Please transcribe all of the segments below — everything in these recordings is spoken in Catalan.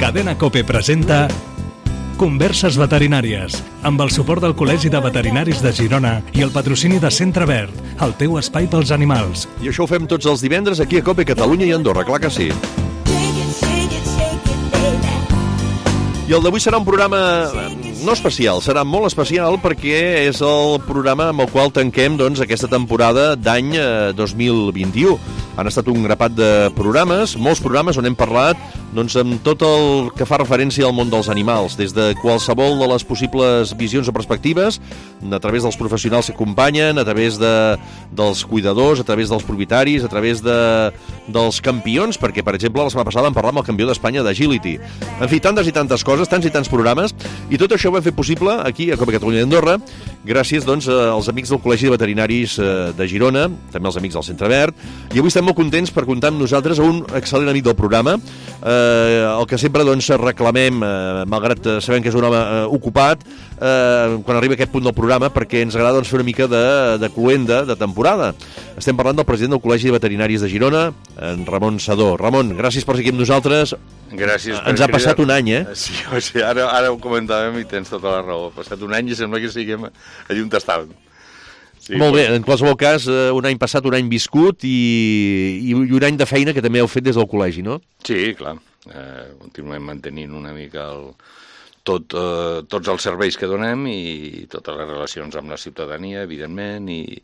Cadena COPE presenta Converses veterinàries, amb el suport del Col·legi de Veterinaris de Girona i el patrocini de Centre Verd, el teu espai pels animals. I això ho fem tots els divendres aquí a COPE Catalunya i Andorra, clar que sí. I el d'avui serà un programa no especial, serà molt especial perquè és el programa amb el qual tanquem aquesta temporada d'any 2021. Han estat un grapat de programes, molts programes on hem parlat amb tot el que fa referència al món dels animals, des de qualsevol de les possibles visions o perspectives, a través dels professionals que acompanyen, a través dels cuidadors, a través dels propietaris, a través dels campions, perquè, per exemple, la setmana passada vam parlar amb el campió d'Espanya d'Agility. En fi, tantes i tantes coses, tants i tants programes, i tot això ho hem fet possible aquí a COPE Catalunya i Andorra, gràcies als amics del Col·legi de Veterinaris de Girona, també als amics del Centre Verd, i avui estem molt contents per comptar amb nosaltres a un excel·lent amic del programa, el que sempre reclamem, malgrat sabem que és un home ocupat, quan arriba a aquest punt del programa, perquè ens agrada fer una mica de cluenda de temporada. Estem parlant del president del Col·legi de Veterinaris de Girona, en Ramon Sedó. Ramon, gràcies per seguir amb nosaltres. Gràcies. Ens ha passat un any, Sí, ara ho comentàvem i tens tota la raó. Ha passat un any i sembla que siguem allà on estàvem. Sí, molt bé, en qualsevol cas, un any passat, un any viscut i un any de feina que també heu fet des del col·legi, no? Sí, clar. Continuem mantenint una mica tots els serveis que donem i totes les relacions amb la ciutadania, evidentment, i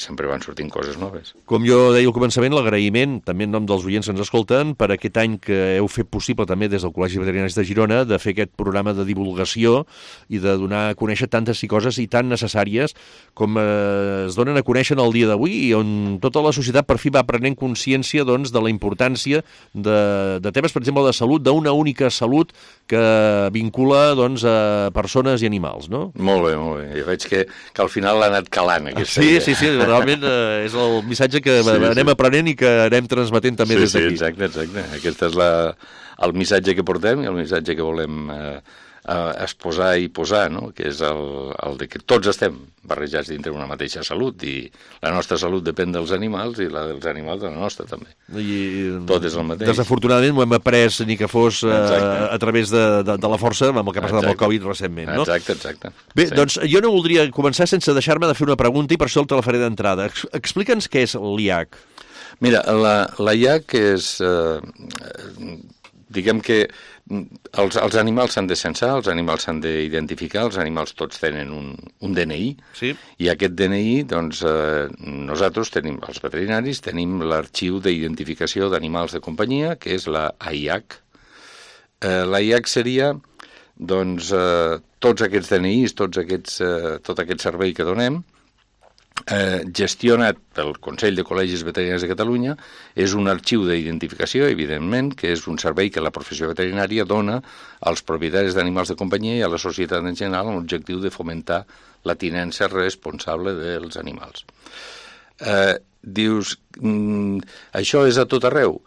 sempre van sortint coses noves. Com jo deia al començament, l'agraïment, també en nom dels oients que ens escolten, per aquest any que heu fet possible també des del Col·legi de Veterinaris de Girona de fer aquest programa de divulgació i de donar a conèixer tantes coses i tan necessàries com es donen a conèixer en el dia d'avui i on tota la societat per fi va prenent consciència de la importància de temes, per exemple, de salut, d'una única salut que vincula a persones i animals, no? Molt bé, molt bé. Jo veig que al final l'ha anat calant, aquesta idea. Sí, realment és el missatge que anem aprenent i que anem transmetent també des d'aquí. Sí, exacte. Aquest és el missatge que portem i el missatge que volem exposar i posar, no? Que és el de que tots estem barrejats dintre una mateixa salut i la nostra salut depèn dels animals i la dels animals de la nostra també. Tot és el mateix. Desafortunadament ho hem après ni que fos a través de la força amb el que ha passat amb el Covid recentment, no? Exacte. Bé, doncs jo no voldria començar sense deixar-me de fer una pregunta i per això te la faré d'entrada. Explica'ns què és l'IAC. Mira, la IAC és... diguem que els animals s'han de censar, els animals s'han d'identificar, els animals tots tenen un DNI, sí? I aquest DNI, nosaltres tenim, els veterinaris, tenim l'arxiu d'identificació d'animals de companyia, que és la AIAC. La AIAC seria, tots aquests DNIs, tot aquest servei que donem, gestionat pel Consell de Col·legis Veterinaris de Catalunya, és un arxiu d'identificació, evidentment, que és un servei que la professió veterinària dona als propietaris d'animals de companyia i a la societat en general amb l'objectiu de fomentar la tinença responsable dels animals. Dius, això és a tot arreu.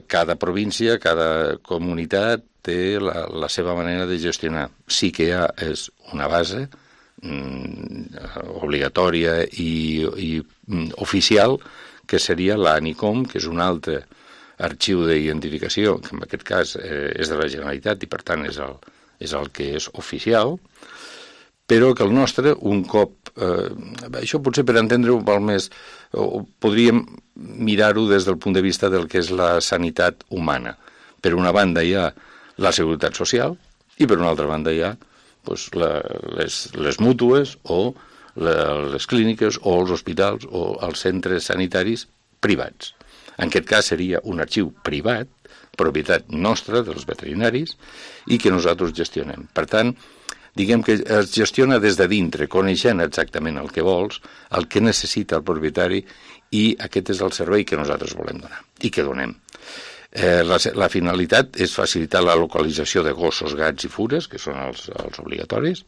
Cada província, cada comunitat té la seva manera de gestionar. Sí que és una base obligatòria i oficial, que seria l'ANICOM, que és un altre arxiu d'identificació, que en aquest cas és de la Generalitat i per tant és el que és oficial, però que el nostre, un cop... això potser per entendre-ho val més, podríem mirar-ho des del punt de vista del que és la sanitat humana. Per una banda hi ha la seguretat social i per una altra banda hi ha les mútues o les clíniques o els hospitals o els centres sanitaris privats. En aquest cas seria un arxiu privat, propietat nostra dels veterinaris i que nosaltres gestionem. Per tant, diguem que es gestiona des de dintre, coneixent exactament el que vols, el que necessita el propietari i aquest és el servei que nosaltres volem donar i que donem. La finalitat és facilitar la localització de gossos, gats i fures, que són els obligatoris.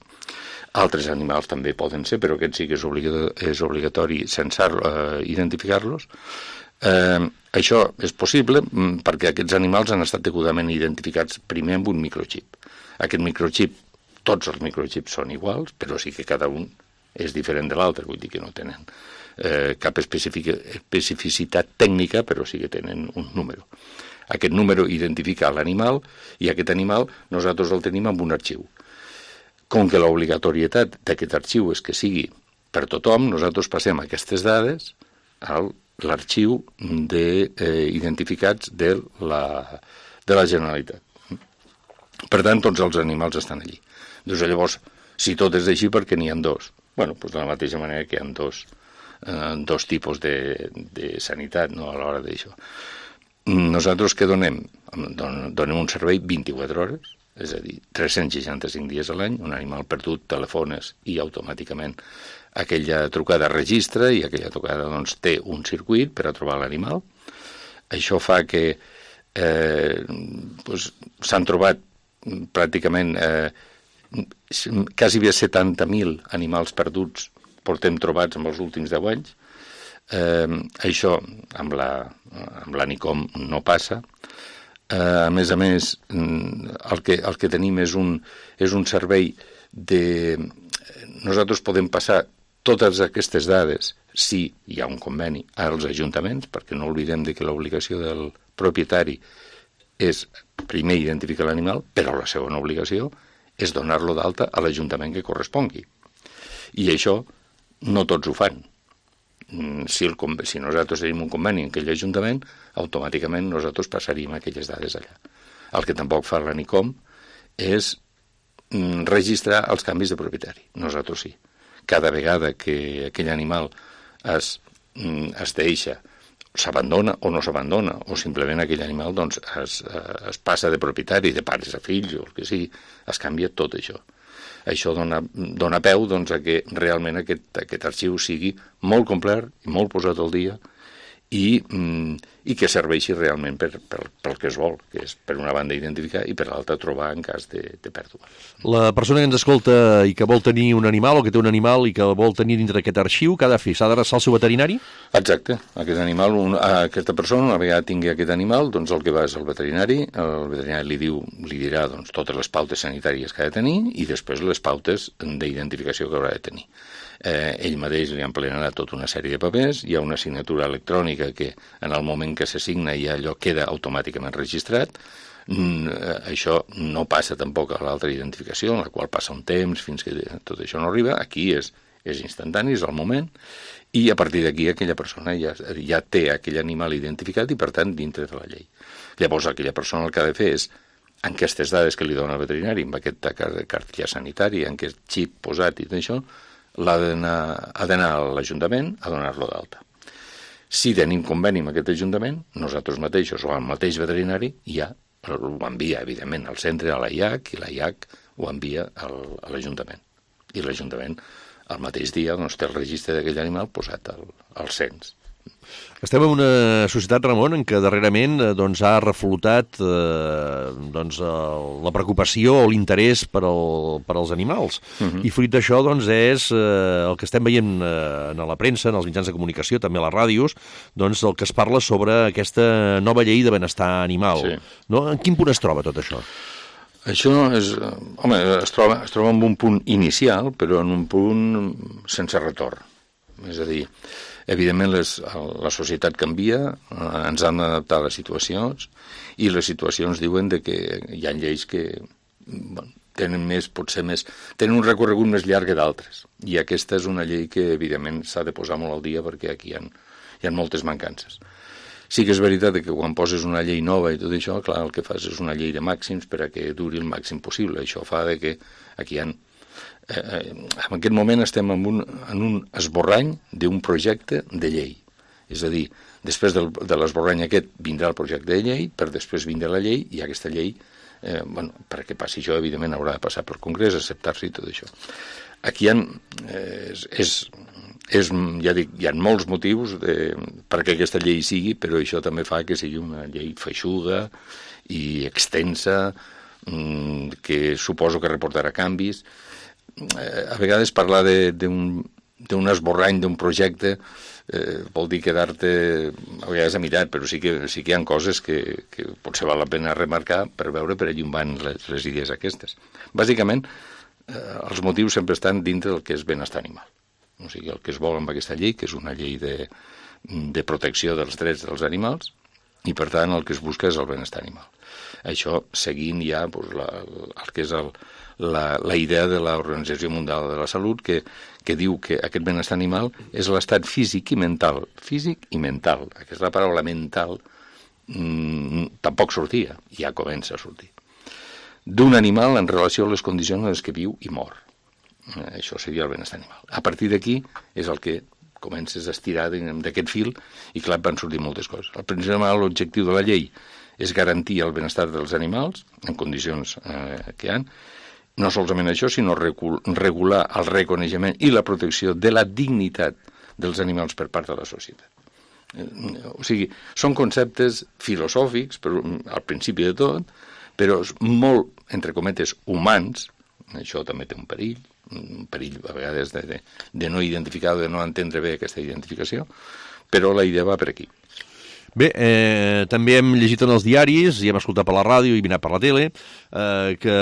Altres animals també poden ser, però aquest sí que és obligatori identificar-los. Això és possible perquè aquests animals han estat degudament identificats primer amb un microxip. Aquest microxip, tots els microxips són iguals, però sí que cada un és diferent de l'altre, vull dir que no tenen cap especificitat tècnica, però sí que tenen un número. Aquest número identifica l'animal i aquest animal nosaltres el tenim en un arxiu. Com que l'obligatorietat d'aquest arxiu és que sigui per tothom, nosaltres passem aquestes dades a l'arxiu d'identificats de la Generalitat. Per tant, tots els animals estan allí. Doncs llavors, si tot és així, per què n'hi ha dos? Bueno, doncs de la mateixa manera que hi ha dos tipus de sanitat, no, a l'hora d'això. Nosaltres què donem? Donem un servei 24 hores, és a dir, 365 dies a l'any, un animal perdut, telefones i automàticament aquella trucada registra i aquella trucada doncs, té un circuit per a trobar l'animal. Això fa que s'han trobat pràcticament quasi 70.000 animals perduts portem trobats en els últims 10 anys. Això amb l'ANICOM no passa. A més, el que tenim és un servei de... Nosaltres podem passar totes aquestes dades, si hi ha un conveni, als ajuntaments, perquè no oblidem que l'obligació del propietari és primer identificar l'animal, però la segona obligació és donar-lo d'alta a l'Ajuntament que correspongui. I això no tots ho fan. Si nosaltres tenim un conveni en aquell Ajuntament, automàticament nosaltres passaríem aquelles dades allà. El que tampoc fa l'ANICOM és registrar els canvis de propietari. Nosaltres sí. Cada vegada que aquell animal es deixa, s'abandona o no s'abandona, o simplement aquell animal doncs, es passa de propietari, de pares a fills, o el que sigui, es canvia tot això. Això dona peu doncs, a que realment aquest arxiu sigui molt complet i molt posat al dia i que serveixi realment pel que es vol, que és per una banda identificar i per l'altra trobar en cas de pèrdua. La persona que ens escolta i que vol tenir un animal o que té un animal i que el vol tenir dintre d'aquest arxiu, què ha de fer? S'ha d'adreçar al seu veterinari? Exacte. Aquesta persona, una vegada tingui aquest animal, doncs el que va és el veterinari li dirà doncs, totes les pautes sanitàries que ha de tenir i després les pautes d'identificació que haurà de tenir. Ell mateix li emplenarà tota una sèrie de papers, hi ha una signatura electrònica que en el moment que s'assigna ja allò queda automàticament registrat. Això no passa tampoc a l'altra identificació, en la qual passa un temps fins que tot això no arriba. Aquí és instantani, és el moment, i a partir d'aquí aquella persona ja té aquell animal identificat i per tant dintre de la llei. Llavors aquella persona el que ha de fer és en aquestes dades que li dona el veterinari, amb aquesta cartilla sanitària, en aquest xip posat i tot això, ha d'anar a l'Ajuntament a donar-lo d'alta. Si tenim conveni amb aquest Ajuntament, nosaltres mateixos o el mateix veterinari ja ho envia, evidentment, al centre, a l'AIAC, i l'AIAC ho envia a l'Ajuntament. I l'Ajuntament, al mateix dia, doncs, té el registre d'aquell animal posat al cens. Estem en una societat, Ramon, en què darrerament ha reflotat la preocupació o l'interès per als animals. I fruit d'això és el que estem veient a la premsa, en els mitjans de comunicació, també a les ràdios, el que es parla sobre aquesta nova llei de benestar animal. Sí. No? En quin punt es troba tot això? Això es troba en un punt inicial, però en un punt sense retorn. És a dir, evidentment la societat canvia, ens han d'adaptar a les situacions, i les situacions diuen que hi ha lleis que tenen un recorregut més llarg que d'altres. I aquesta és una llei que, evidentment, s'ha de posar molt al dia perquè aquí hi ha moltes mancances. Sí que és veritat que quan poses una llei nova i tot això, clar, el que fas és una llei de màxims per a que duri el màxim possible. Això fa que aquí hi ha... en aquest moment estem en un esborrany d'un projecte de llei. És a dir, després de l'esborrany aquest vindrà el projecte de llei, per després vindrà la llei, i aquesta llei, perquè passi això, evidentment, haurà de passar pel Congrés, acceptar-se i tot això. Aquí hi ha molts motius perquè aquesta llei sigui, però això també fa que sigui una llei feixuga i extensa, que suposo que reportarà canvis. A vegades parlar d'un esborrany d'un projecte vol dir quedar-te a vegades a mirar, però sí que hi ha coses que potser val la pena remarcar per veure per allà on van les idees aquestes. Bàsicament, els motius sempre estan dintre del que és benestar animal. O sigui, el que es vol amb aquesta llei, que és una llei de protecció dels drets dels animals, i per tant el que es busca és el benestar animal. Això seguint ja el que és la idea de l'Organització Mundial de la Salut, que diu que aquest benestar animal és l'estat físic i mental. Físic i mental. Aquesta paraula mental tampoc sortia, ja comença a sortir. D'un animal en relació a les condicions en les que viu i mor. Això seria el benestar animal. A partir d'aquí és el que comences a estirar d'aquest fil i clar, van sortir moltes coses. El principal objectiu de la llei és garantir el benestar dels animals en condicions que hi ha. No solament això, sinó regular el reconeixement i la protecció de la dignitat dels animals per part de la societat. O sigui, són conceptes filosòfics, però, al principi de tot, però molt, entre cometes, humans. Això també té un perill a vegades de no identificar o de no entendre bé aquesta identificació, però la idea va per aquí. Bé, també hem llegit en els diaris i hem escoltat per la ràdio i mirat per la tele que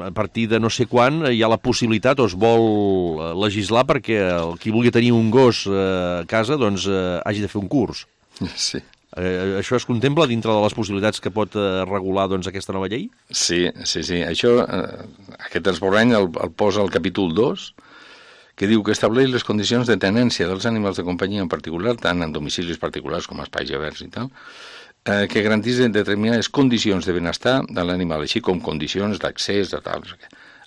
a partir de no sé quan hi ha la possibilitat o es vol legislar perquè qui vulgui tenir un gos a casa doncs hagi de fer un curs. Sí. Això es contempla dintre de les possibilitats que pot regular doncs, aquesta nova llei? Sí. Això, aquest esborrany el posa al capítol 2, que diu que estableix les condicions de tenència dels animals de companyia en particular, tant en domicilis particulars com espais oberts i tal, que garanteixen determinades condicions de benestar de l'animal, així com condicions d'accés a tal.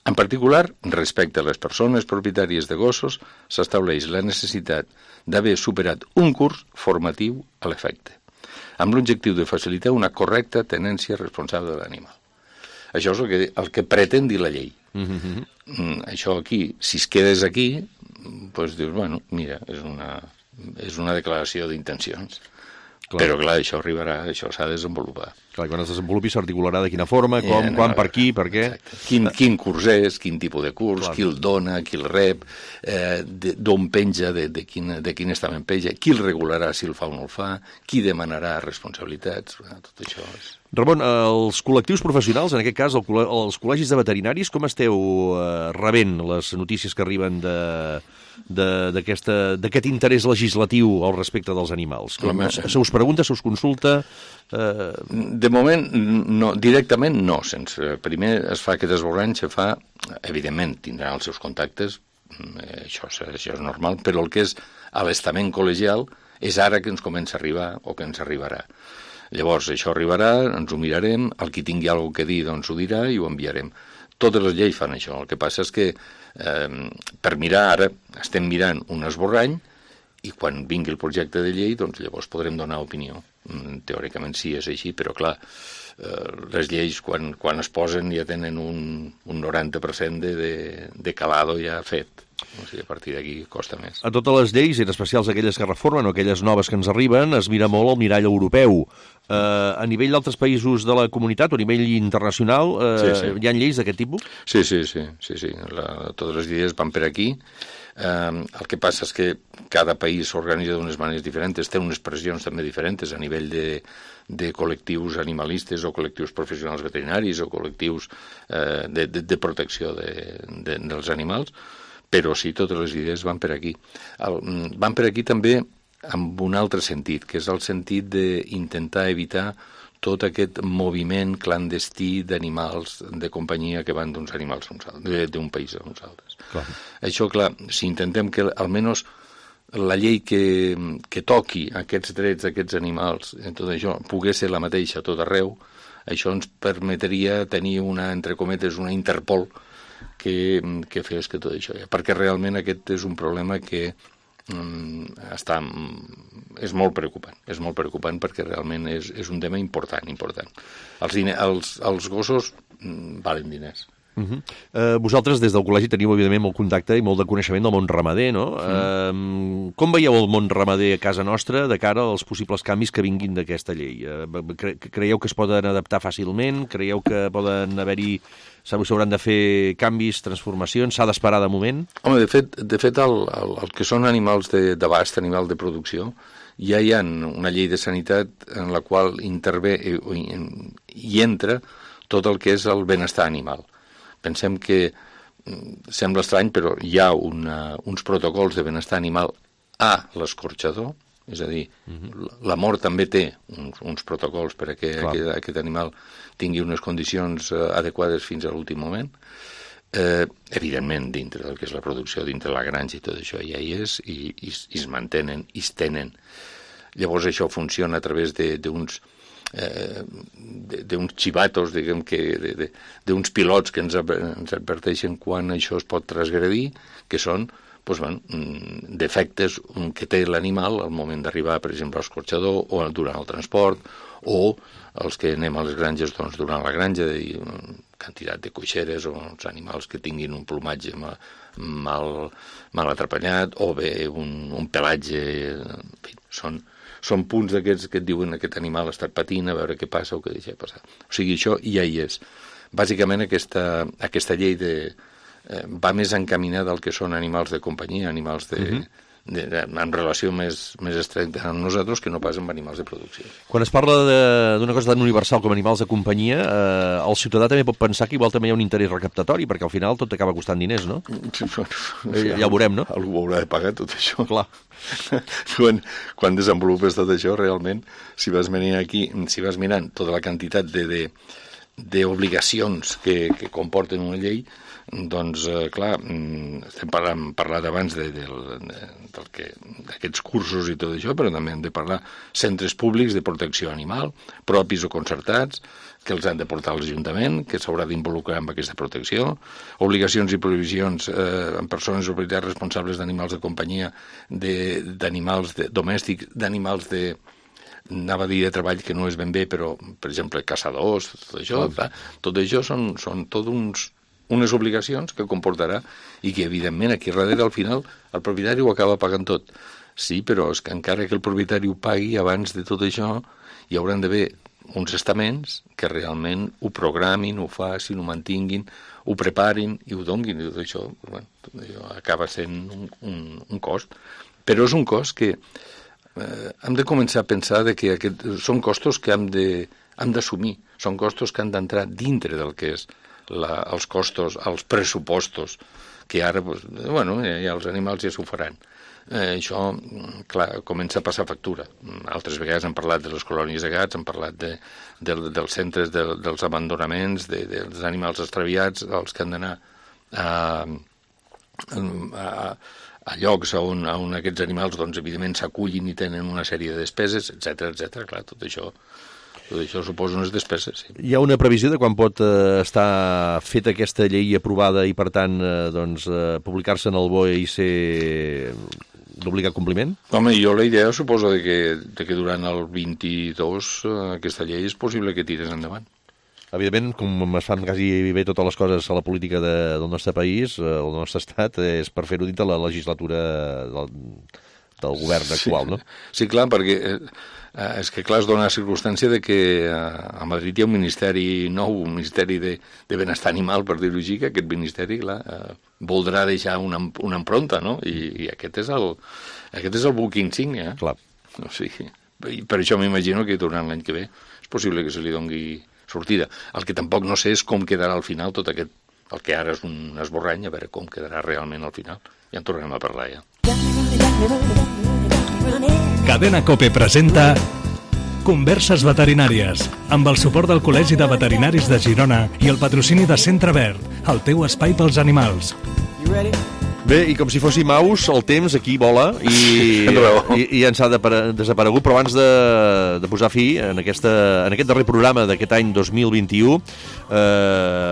En particular, respecte a les persones propietàries de gossos, s'estableix la necessitat d'haver superat un curs formatiu a l'efecte, amb l'objectiu de facilitar una correcta tenència responsable de l'animal. Això és el que pretén dir la llei. Això aquí, si es quedes aquí, doncs dius, bueno, mira, és una declaració d'intencions. Però, clar, això arribarà, això s'ha de desenvolupar. Clar, quan es desenvolupi s'articularà de quina forma, com, quan, per qui, per què... Quin curs és, quin tipus de curs, qui el dona, qui el rep, d'on penja, de quin estament penja, qui el regularà si el fa o no el fa, qui demanarà responsabilitats, tot això és... Ramon, els col·lectius professionals, en aquest cas els col·legis de veterinaris, com esteu rebent les notícies que arriben d'aquest interès legislatiu al respecte dels animals? Se us pregunta, se us consulta? De moment, no, directament no. Primer es fa aquest esborrany, evidentment tindran els seus contactes, això és normal, però el que és a l'estament col·legial és ara que ens comença a arribar o que ens arribarà. Llavors, això arribarà, ens ho mirarem, el qui tingui alguna cosa a dir doncs ho dirà i ho enviarem. Totes les lleis fan això. El que passa és que per mirar ara estem mirant un esborrany i quan vingui el projecte de llei doncs llavors podrem donar opinió. Teòricament sí, és així, però clar, les lleis quan es posen ja tenen un 90% de calado ja fet. O sigui, a partir d'aquí costa més. A totes les lleis, en especial aquelles que reformen o aquelles noves que ens arriben, es mira molt el mirall europeu. A nivell d'altres països de la comunitat o a nivell internacional, hi ha lleis d'aquest tipus? Sí. Totes les lleis van per aquí. El que passa és que cada país s'organitza d'unes maneres diferents, té unes pressions també diferents a nivell de col·lectius animalistes o col·lectius professionals veterinaris o col·lectius de protecció dels animals, però sí, totes les idees van per aquí. Van per aquí també amb un altre sentit, que és el sentit d'intentar evitar tot aquest moviment clandestí d'animals de companyia que van d'uns animals d'un país a uns altres. Clar. Això, clar, si intentem que almenys la llei que toqui aquests drets d'aquests animals, tot això, pogués ser la mateixa a tot arreu, això ens permetria tenir entre cometes, una Interpol que fes que tot això, perquè realment aquest és un problema que és molt preocupant perquè realment és un tema important. Els gossos valen diners. Vosaltres des del col·legi teniu evidentment molt contacte i molt de coneixement del món ramader, no? Com veieu el món ramader a casa nostra de cara als possibles canvis que vinguin d'aquesta llei? Creieu que es poden adaptar fàcilment? Creieu que poden haver-hi, s'hauran de fer canvis, transformacions? S'ha d'esperar de moment? Home, de fet el que són animals d'abast, animals de producció, ja hi ha una llei de sanitat en la qual intervé i entra tot el que és el benestar animal. Pensem que sembla estrany, però hi ha uns protocols de benestar animal a l'escorxador, és a dir, la mort també té uns protocols perquè aquest animal tingui unes condicions adequades fins a l'últim moment. Evidentment, dintre del que és la producció, dintre la granja i tot això ja hi és, i es mantenen, i es tenen. Llavors això funciona a través d'uns xivatos, diguem que, d'uns pilots que ens adverteixen quan això es pot transgredir, que són defectes que té l'animal al moment d'arribar, per exemple, a l'escorxador o durant el transport, o els que anem a les granges durant la granja, quantitat de coixeres o uns animals que tinguin un plomatge mal atrapallat, o bé un pelatge. En fi, són punts d'aquests que et diuen aquest animal ha estat patint, a veure què passa o què deixa passar. O sigui, això ja hi és. Bàsicament aquesta llei va més encaminada al que són animals de companyia, animals en relació més estricta amb nosaltres que no pas amb animals de producció. Quan es parla d'una cosa tan universal com animals de companyia, el ciutadà també pot pensar que igual també hi ha un interès recaptatori, perquè al final tot acaba costant diners, no? Ja ho veurem, no? Algú haurà de pagar tot això. Clar. Quan desenvolupes tot això, realment, si vas mirant tota la quantitat d'obligacions que comporten una llei, doncs, clar, estem parlat abans d'aquests cursos i tot això, però també hem de parlar centres públics de protecció animal, propis o concertats, que els han de portar a l'Ajuntament, que s'haurà d'involucrar en aquesta protecció, obligacions i prohibicions en persones o autoritats responsables d'animals de companyia, d'animals domèstics, d'animals anava a dir de treball que no és ben bé, però, per exemple, caçadors, tot això, tot això són tot unes obligacions que comportarà i que, evidentment, aquí darrere, al final, el propietari ho acaba pagant tot. Sí, però és que encara que el propietari ho pagui, abans de tot això, hi hauran d'haver uns estaments que realment ho programin, ho facin, ho mantinguin, ho preparin i ho donguin. I tot això acaba sent un cost. Però és un cost que hem de començar a pensar que són costos que hem d'assumir, són costos que han d'entrar dintre del que és els costos, els pressupostos, que ara, ja els animals ja s'ho faran. Això, clar, comença a passar factura. Altres vegades hem parlat de les colònies de gats, hem parlat dels centres dels abandonaments, dels animals extraviats, els que han d'anar a llocs on aquests animals, doncs, evidentment, s'acullin i tenen una sèrie de despeses, etc. Clar, tot això suposa unes despeses, sí. Hi ha una previsió de quan pot estar feta aquesta llei aprovada i, per tant, publicar-se en el BOE i ser d'obligat compliment? Home, jo la idea suposa que durant el 22 aquesta llei és possible que tires endavant. Evidentment, com es fan quasi bé totes les coses a la política del nostre país, el nostre estat, és per fer-ho dintre la legislatura del govern actual, no? Sí, clar, perquè és que, clar, es dona la circumstància de que a Madrid hi ha un ministeri nou, un ministeri de benestar animal, per dir-ho així, que aquest ministeri, clar, voldrà deixar una empronta, no? I aquest és el buc insígnia. Clar. O sigui, per això m'imagino que durant l'any que ve és possible que se li dongui sortida. El que tampoc no sé és com quedarà al final tot aquest, el que ara és un esborrany, a veure com quedarà realment al final. Ja en tornarem a parlar, ja. Cadena COPE presenta Converses veterinàries, amb el suport del Col·legi de Veterinaris de Girona i el patrocini de Centre Verd, el teu espai pels animals. Bé, i com si fóssim aus, el temps aquí vola i ens ha desaparegut, però abans de posar fi en aquest darrer programa d'aquest any 2021,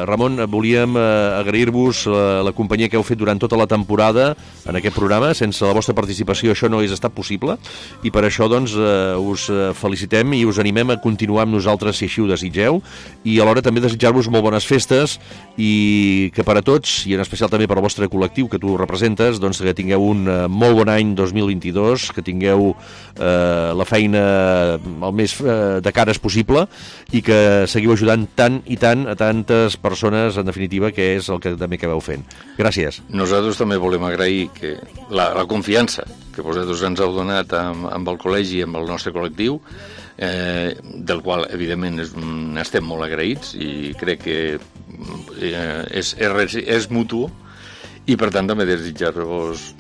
Ramon, volíem agrair-vos la companyia que heu fet durant tota la temporada en aquest programa. Sense la vostra participació això no hagués estat possible i per això doncs us felicitem i us animem a continuar amb nosaltres si així ho desitgeu, i alhora també desitjar-vos molt bones festes i que per a tots, i en especial també per al vostre col·lectiu que tu representes, doncs que tingueu un molt bon any 2022, que tingueu la feina el més de cares possible i que seguiu ajudant tant i tant a tantes persones, en definitiva, que és el que també acabeu fent. Gràcies. Nosaltres també volem agrair que la confiança que vosaltres ens heu donat amb el col·legi i amb el nostre col·lectiu, del qual, evidentment, n'estem molt agraïts, i crec que és mutu, i per tant també desitjar-vos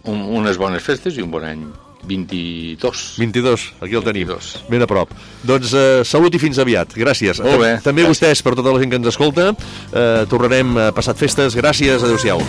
unes bones festes i un bon any 22, aquí el tenim, 22. Ben a prop. Doncs salut i fins aviat, gràcies. Molt bé, també gràcies. Vostès, per tota la gent que ens escolta, tornarem passat festes, gràcies, adeu-siau.